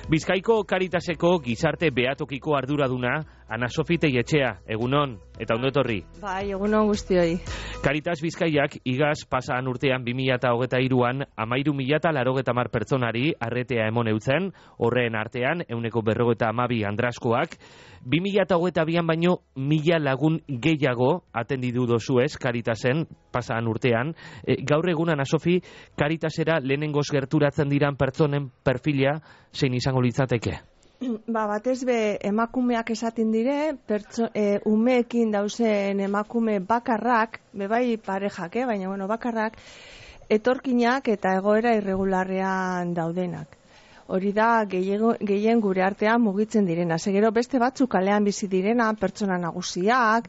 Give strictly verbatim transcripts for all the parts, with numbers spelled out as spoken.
Bizkaiko Caritaseko gizarte behatokiko arduraduna Ana Sofi Teietxea, egunon, eta ondo etorri. Bai, egunon guztioi. Caritas Bizkaiak igaz pasaan urtean bi mila hogeita hiruan hamairu mila laurogeita hamar pertsonari arretea emon eutzen, horren artean ehuneko berrogeita hamabi andraskoak, bi mila hogeita bian baino mila lagun gehiago atendidu dozuez Caritasen pasaan urtean. E, gaur egun Ana Sofi, Caritasera lehenengoz gerturatzen diran pertsonen perfila zein izango litzateke? Ba, batez be emakumeak esaten dire, pertso, e, umeekin dauzen emakume bakarrak, bebai parejak, eh? baina bueno, bakarrak, etorkinak eta egoera irregularrean daudenak. Hori da gehien gure artean mugitzen direna. Segero beste batzuk kalean bizi direna, pertsona nagusiak,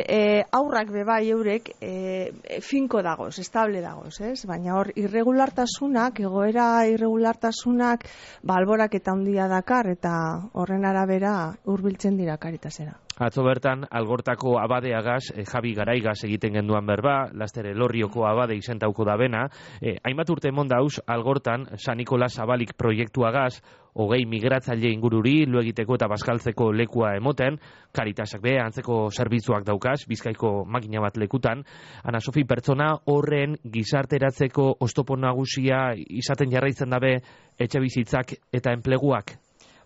e, aurrak bebai eurek e, finko dagoz, estable dagoz, ez? Baina hor irregulartasunak, egoera irregulartasunak, balborak eta handia dakar eta horren arabera hurbiltzen dira Caritasera. Atzo bertan, Algortako abadeagaz, eh, Javi Garaigaz egiten genduan berba, laster Elorrioko abade izentauko da bena. Eh, hainbat urte emon dauz, Algortan, San Nikolas Zabalik proiektuagaz, hogei migratzaile ingururi, lo egiteko eta bazkaltzeko lekua emoten, Caritasak be, antzeko zerbitzuak daukaz, Bizkaiko makina bat lekutan. Ana Sofi, pertsona horren gizarteratzeko oztopo nagusia izaten jarraitzen dabe etxe bizitzak eta enpleguak?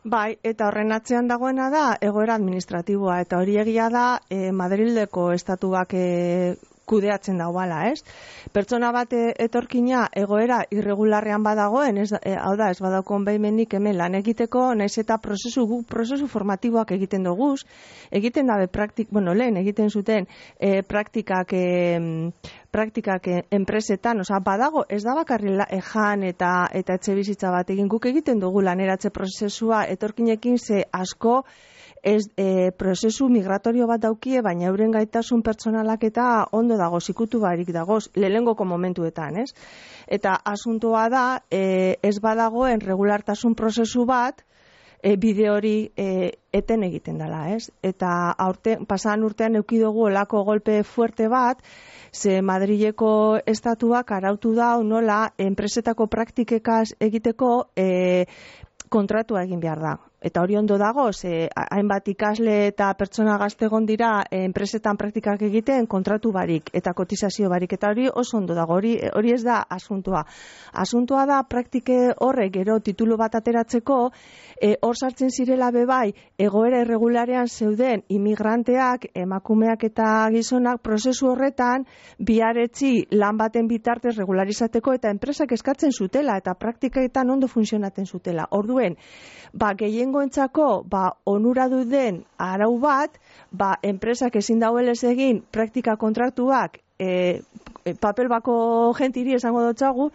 Bai, eta horren atzean dagoena da egoera administratiboa, eta hori egia da e, Madrileko estatuak e, kudeatzen dauala, ez? Pertsona bat etorkina egoera irregularrean badagoen, ez, e, hau da, ez badaukon behimenik hemen lan egiteko, naiz eta prozesu, prozesu formatiboak egiten duguz, egiten dabe praktik, bueno, lehen egiten zuten e, praktikak e, praktikak enpresetan, osea, badago, ez da bakarri ejan eta eta etxe bizitza bat egin, guk egiten dugu laneratze prozesua etorkinekin ze asko ez e, prozesu migratorio bat daukie, baina euren gaitasun pertsonalak eta ondo dago, zikutu barik dagoz, lehengoko momentuetan, ez? Eta asuntoa da, e, ez badagoen regulartasun prozesu bat, E, bide hori e, eten egiten dela, ez? Eta aurte, pasan urtean eukidugu olako golpe fuerte bat, ze Madrileko estatuak arautu dau nola enpresetako praktikekaz egiteko e, kontratua egin behar da. Eta hori ondo dago, ze hainbat ikasle eta pertsona gazte egon dira enpresetan praktikak egiten kontratu barik eta kotizazio barik, eta hori oso ondo dago, hori, hori ez da asuntua. Asuntua da praktike horrek gero titulu bat ateratzeko, e, hor sartzen zirela bebai egoera irregularean zeuden imigranteak, emakumeak eta gizonak prozesu horretan biharetzi lan baten bitartez regularizateko eta enpresak eskatzen zutela eta praktiketan ondo funtzionatzen zutela. Orduen, ba, gehiengoentzako ba, onuradu den arau bat, ba, enpresak ezin dauelez egin praktika kontratuak e, papel bako gentiri esango dotzagu,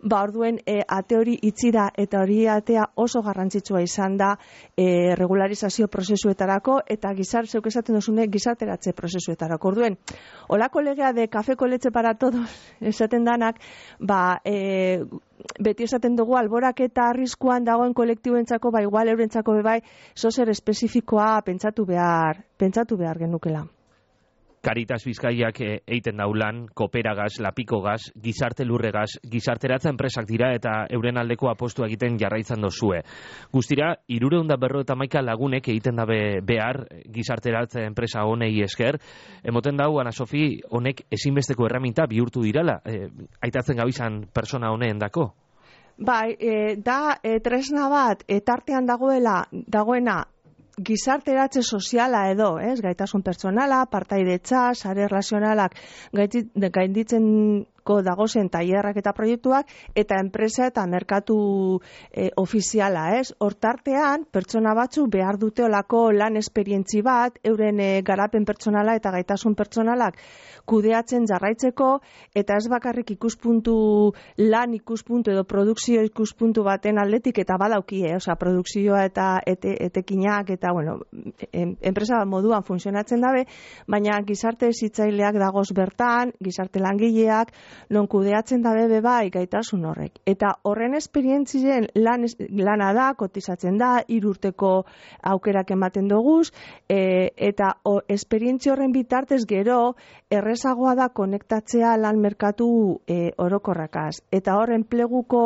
ba, orduen e, ate hori itxi da eta hori atea oso garrantzitsua izan da e, regularizazio prozesuetarako eta gizar, zeuk esaten duzune, gizarteratze prozesuetarako. Orduen, olako legea de kafe con leche para todos esaten danak, ba, e, beti esaten dugu alborak eta arriskuan dagoen kolektiboentzako, ba igual eurentzako bebai, zozer espezifikoa pentsatu behar, pentsatu behar genukela. Caritas Bizkaiak eiten daulan, Kooperagaz, Lapikogaz, Gizarte Lurregaz, gizarteratza enpresak dira eta euren aldeko apostu egiten jarraitzen dozue. Guztira, hirurehun eta berrogeita hamaika lagunek egiten dabe behar gizarteratza enpresa honei esker. Emoten dau, Ana Sofi, honek ezinbesteko erraminta bihurtu dirala, e, aitatzen gabizan persona honeen dako? Bai, e, da e, tresna bat, etartean dagoela, dagoena, gizarteratze soziala edo, ez, gaitasun pertsonala, partaidetza, sare erlazionalak gainditzen dagozen tailerrak eta proiektuak, eta enpresa eta merkatu e, ofiziala, ez? Hortartean, pertsona batzu behar dute olako lan esperientzi bat, euren e, garapen pertsonala eta gaitasun pertsonalak kudeatzen jarraitzeko, eta ez bakarrik ikuspuntu lan ikuspuntu edo produkzio ikuspuntu baten aldetik, eta badaukie, osea, produkzioa eta ete, etekinak, eta, bueno, en, enpresa moduan funtzionatzen dabe, baina gizarte hezitzaileak dagoz bertan, gizarte langileak, non kudeatzen da bebe bai gaitasun horrek. Eta horren esperientzien lan, lana da, kotizatzen da, hiru urteko aukerak ematen doguz, e, eta o, esperientzia horren bitartez gero, errezagoa da konektatzea lan merkatu e, orokorrakaz. Eta hor, enpleguko,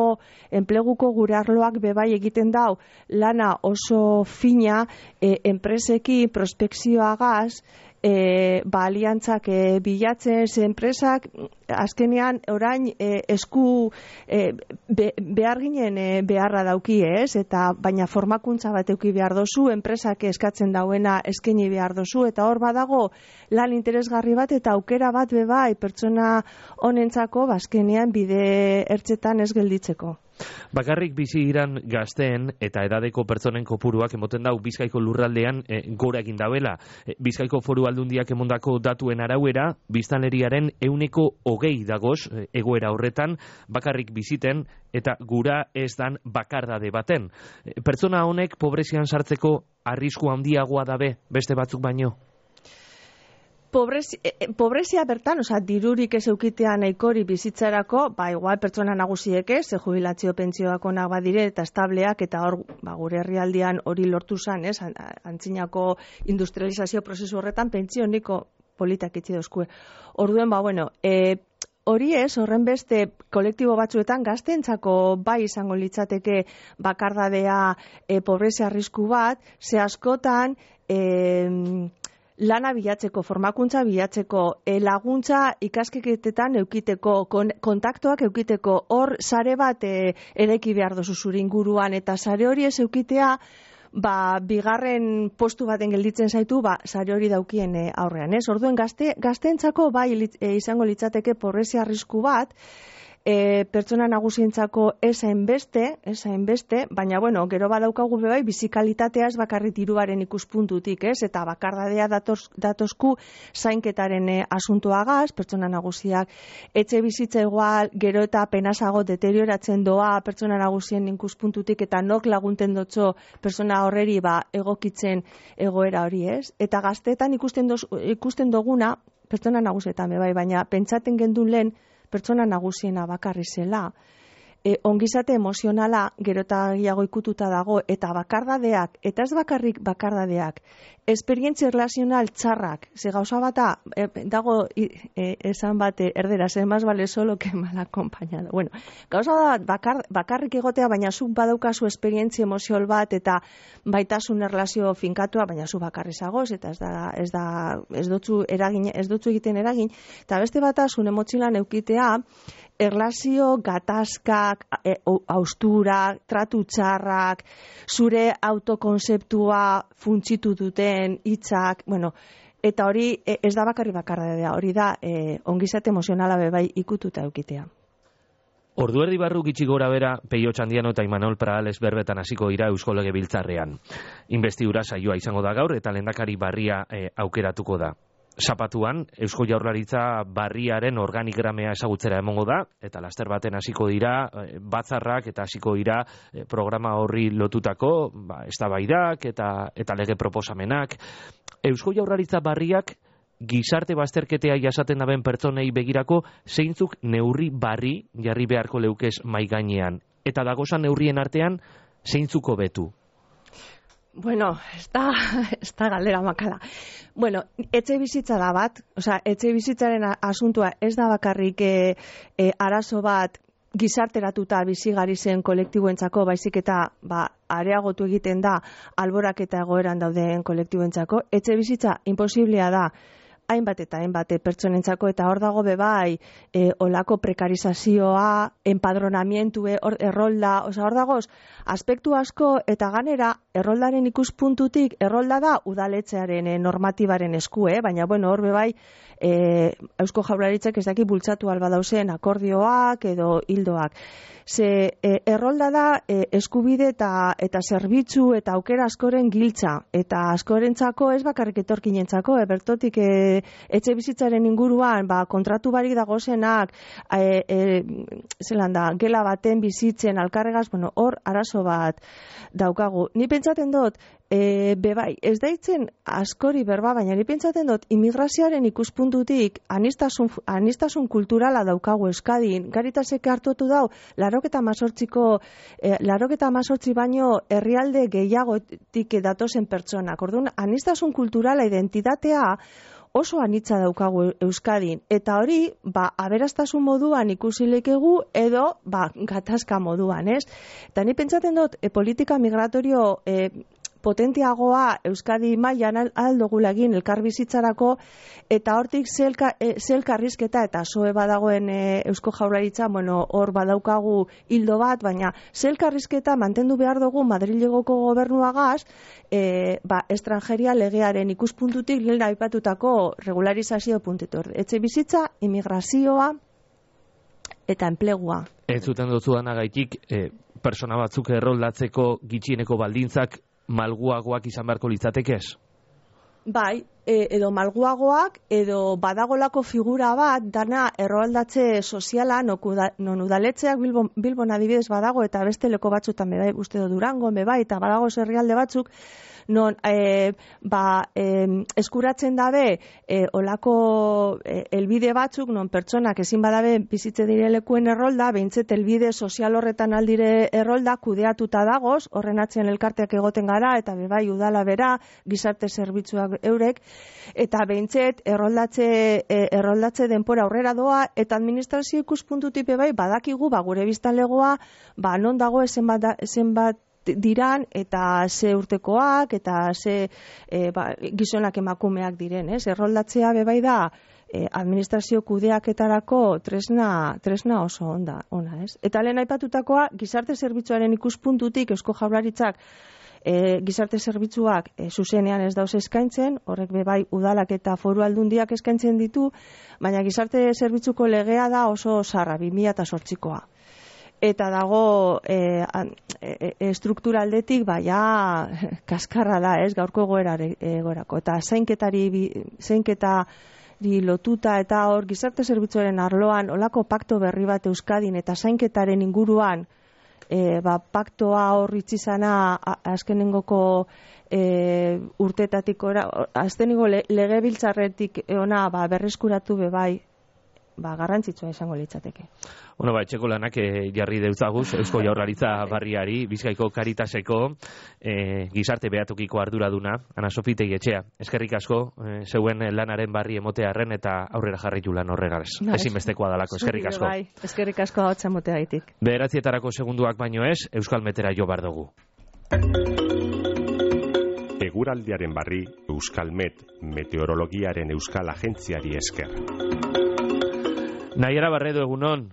enpleguko gure arloak bebai egiten dau, lana oso fina, e, enpreseki prospekzioagaz, E, ba, aliantzak e, bilatzen, ze enpresak azkenean orain e, esku e, be, behar ginen e, beharra dauki ez, eta baina formakuntza bat euki behar dozu, enpresak eskatzen dauena eskaini behar dozu, eta hor badago lan interesgarri bat eta aukera bat bebai pertsona honentzako bazkenean bide ertzetan ez gelditzeko. Bakarrik bizi iran gazteen eta edadeko pertsonen kopuruak emoten dau Bizkaiko lurraldean e, gora egin dauela. E, Bizkaiko Foru Aldundiak emondako datuen arauera, biztanleriaren euneko hogei dagoz e, egoera horretan, bakarrik biziten eta gura ez dan bakardade baten. E, pertsona honek pobrezian sartzeko arrisku handiagoa dabe beste batzuk baino? Pobrezia, pobrezia bertan, osea, dirurik ez eukitea nahikori bizitzarako, ba, igual pertsona nagusiek ez, ze jubilazio pentsioak onak badire eta estableak, eta hor, ba, gure herrialdean hori lortu zan, ez, antzinako industrializazio prozesu horretan pentsio niko politak itzi dozkue. Orduen, ba, bueno, e, hori ez, horren beste kolektibo batzuetan gaztentzako bai izango litzateke bakardadea e, pobrezia arrisku bat, ze askotan, e, lana bilatzeko, formakuntza bilatzeko, e, laguntza ikasketetan eukiteko, kon, kontaktoak eukiteko, hor sare bat e, eraiki behar dozu zure inguruan, eta sare hori ez eukitea, ba, bigarren postu baten gelditzen zaitu, ba, sare hori daukien e, aurrean, ez? Orduen gazte, gazteentzako bai e, izango litzateke pobrezia arrisku bat, E, pertsona nagusientzako esain beste, esain beste, baina bueno, gero badaukagu bebai bizikalitatea ez bakarrik diruaren ikuspuntutik, ez? Eta bakardadea datos, datosku zainketaren e, asuntoagaz, pertsona nagusiak etxe bizitza igual, gero eta penasago deterioratzen doa pertsona nagusien ikuspuntutik eta nok lagunten dotzo pertsona horreri ba egokitzen egoera hori, ez? Eta gazteetan ikusten, doz, ikusten doguna, pertsona nagusietan bebai, baina pentsaten gendun lehen pertsona nagusiena bakarri zela, e, ongizate emozionala gero eta gehiago ikututa dago, eta bakardadeak, eta ez bakarrik bakardadeak, esperientzia relazional txarrak, ze gauza bata, e, dago e, esan bate erderaz, ez más vale solo que mal acompañado. Bueno, gauza bat bakar, bakarrik egotea, baina zuk badaukazu esperientzia emoziol bat, eta baitasun erlazio finkatua, baina zu bakarri zagoz, eta ez da, ez da, ez dutzu eragin, ez dutzu egiten eragin, eta beste batasun emoziolan eukitea, erlazio gatazkak, e, austura, tratu txarrak, zure autokonzeptua funtsitu duten hitzak, bueno, eta hori e, ez da bakarri bakardadea, hori da e, ongizate emozionala bebai ikututa eukitea. Ordu erdi barru gitxi gora bera, Peio Txandiano eta Imanol Pradales berbetan hasiko dira Eusko Legebiltzarrean. Investidura saioa izango da gaur eta lehendakari barria e, aukeratuko da. Zapatuan, Eusko Jaurlaritza barriaren organigramea ezagutzera emongo da, eta laster baten hasiko dira batzarrak eta hasiko dira programa horri lotutako ba, eztabaidak eta, eta lege proposamenak. Eusko Jaurlaritza barriak gizarte bazterketea jasaten daben pertsonei begirako zeintzuk neurri barri jarri beharko leukez mai gainean. Eta dagozan neurrien artean zeintzuk hobetu. Bueno, ez da, ez da galdera makala. Bueno, etxe bizitza da bat, osea, etxe bizitzaren asuntua ez da bakarrik e, e, arazo bat gizarteratuta bizigari zen kolektiboentzako, baizik eta ba, areagotu egiten da alborak eta egoeran dauden kolektiboentzako. Etxe bizitza imposiblea da hainbat eta hainbat pertsonentzako, eta hor dago bebai e, olako prekarizazioa, empadronamientu, hor errolda, oza, hor dagoz, aspektu asko, eta ganera, erroldaren ikuspuntutik, errolda da udaletzearen e, normatibaren esku, eh? Baina, bueno, hor bebai, e, Eusko Jaurlaritzak ez daki bultzatu alba dauzen akordioak edo hildoak. Ze e, errolda da e, eskubide eta, eta zerbitzu eta aukera askoren giltza, eta askorentzako ez bakarrik etorkinentzako, e, bertotik e, e, etxe bizitzaren inguruan, ba, kontratu barik dagozenak, e, e, zelan da, gela baten bizitzen, alkarregaz, bueno, hor arazo bat daukagu. Ni pentsaten dut, E, bebai, ez daitzen askori berba, baina ni pentsaten dut immigrazioaren ikuspuntutik anistasun, anistasun kulturala daukagu Euskadin. Garitasek hartutu dau, laroketa mazortziko, e, laroketa mazortzi baino herrialde gehiagotik datozen pertsonak. Orduan, anistasun kulturala identitatea oso anitza daukagu Euskadin. Eta hori, ba, aberastasun moduan ikusi lekegu edo, ba, gatazka moduan, ez? Eta ni pentsaten dut, e, politika migratorio e, potentiagoa Euskadi mailan aldogula egin elkarbizitzarako eta hortik zelka, e, zelkarrizketa eta soe badagoen e, Eusko Jaurlaritza, bueno, hor badaukagu hildo bat, baina zelkarrizketa mantendu behar dugu Madrilegoko gobernuagaz, e, ba, estrangeria legearen ikuspuntutik lehen aipatutako regularizazio puntetor. Etxe bizitza, immigrazioa eta enplegua. Ez zuten dutzu danagaitik, e, persona batzuk erroldatzeko gitxieneko baldintzak malguagoak izan beharko litzatekez? Bai, e, edo malguagoak, edo badagolako figura bat, dana erroldatze soziala, non udaletzeak Bilbon, Bilbon adibidez badago, eta beste leko batzutan bebai, uste do Durango, bebai, eta badago herrialde batzuk, non e, ba, e, eskuratzen dabe e, olako e, elbide batzuk, non pertsonak ezin badabe bizitze dire lekuen errolda, behintzet elbide sozial horretan aldire errolda kudeatuta dagoz, horren atzen elkarteak egoten gara, eta bebai udala bera, gizarte zerbitzuak eurek, eta behintzet erroldatze, e, erroldatze denpora aurrera doa, eta administrazio ikuspuntutik bebai badakigu, ba, gure biztanlegoa, ba, non dago zenbat, zenbat diran eta ze urtekoak eta ze e, ba, gizonak emakumeak diren, ez? Erroldatzea bebai da e, administrazio kudeaketarako tresna, tresna oso onda, ona, ez? Eta lehen aipatutakoa, gizarte zerbitzuaren ikuspuntutik Eusko Jaurlaritzak e, gizarte zerbitzuak e, zuzenean ez dauz eskaintzen, horrek bebai udalak eta foru aldundiak eskaintzen ditu, baina gizarte zerbitzuko legea da oso zarra, bi mila zortzikoa. Eta dago e, e, e, struktura aldetik baia kaskarra da, ez, gaurko egoerako. Eta zainketari, zainketari lotuta eta hor gizarte zerbitzuaren arloan olako pakto berri bat Euskadin eta zainketaren inguruan e, ba, paktoa hor itzizana azkenengoko e, urtetatik ora, azkenengo le, legebiltzarretik ona ba, berreskuratu bebai, ba, garrantzitsua izango litzateke. Bueno, ba, etxeko lanak e, jarri deutzaguz, Eusko Jaurlaritza barriari, Bizkaiko Karitaseko e, gizarte behatokiko arduraduna, Ana Sofi Tegietxea. Eskerrik asko, e, zeuen lanaren barri emotearren eta aurrera jarritu lan horregaz. Ezinbestekoa dalako, eskerrik asko. Bai, eskerrik asko hotza moteagaitik. Bederatzietarako segunduak baino ez, Euskal Metera jo bar dugu. Eguraldiaren barri, Euskalmet, meteorologiaren euskal agentziari esker. Naiara Barredo, egunon.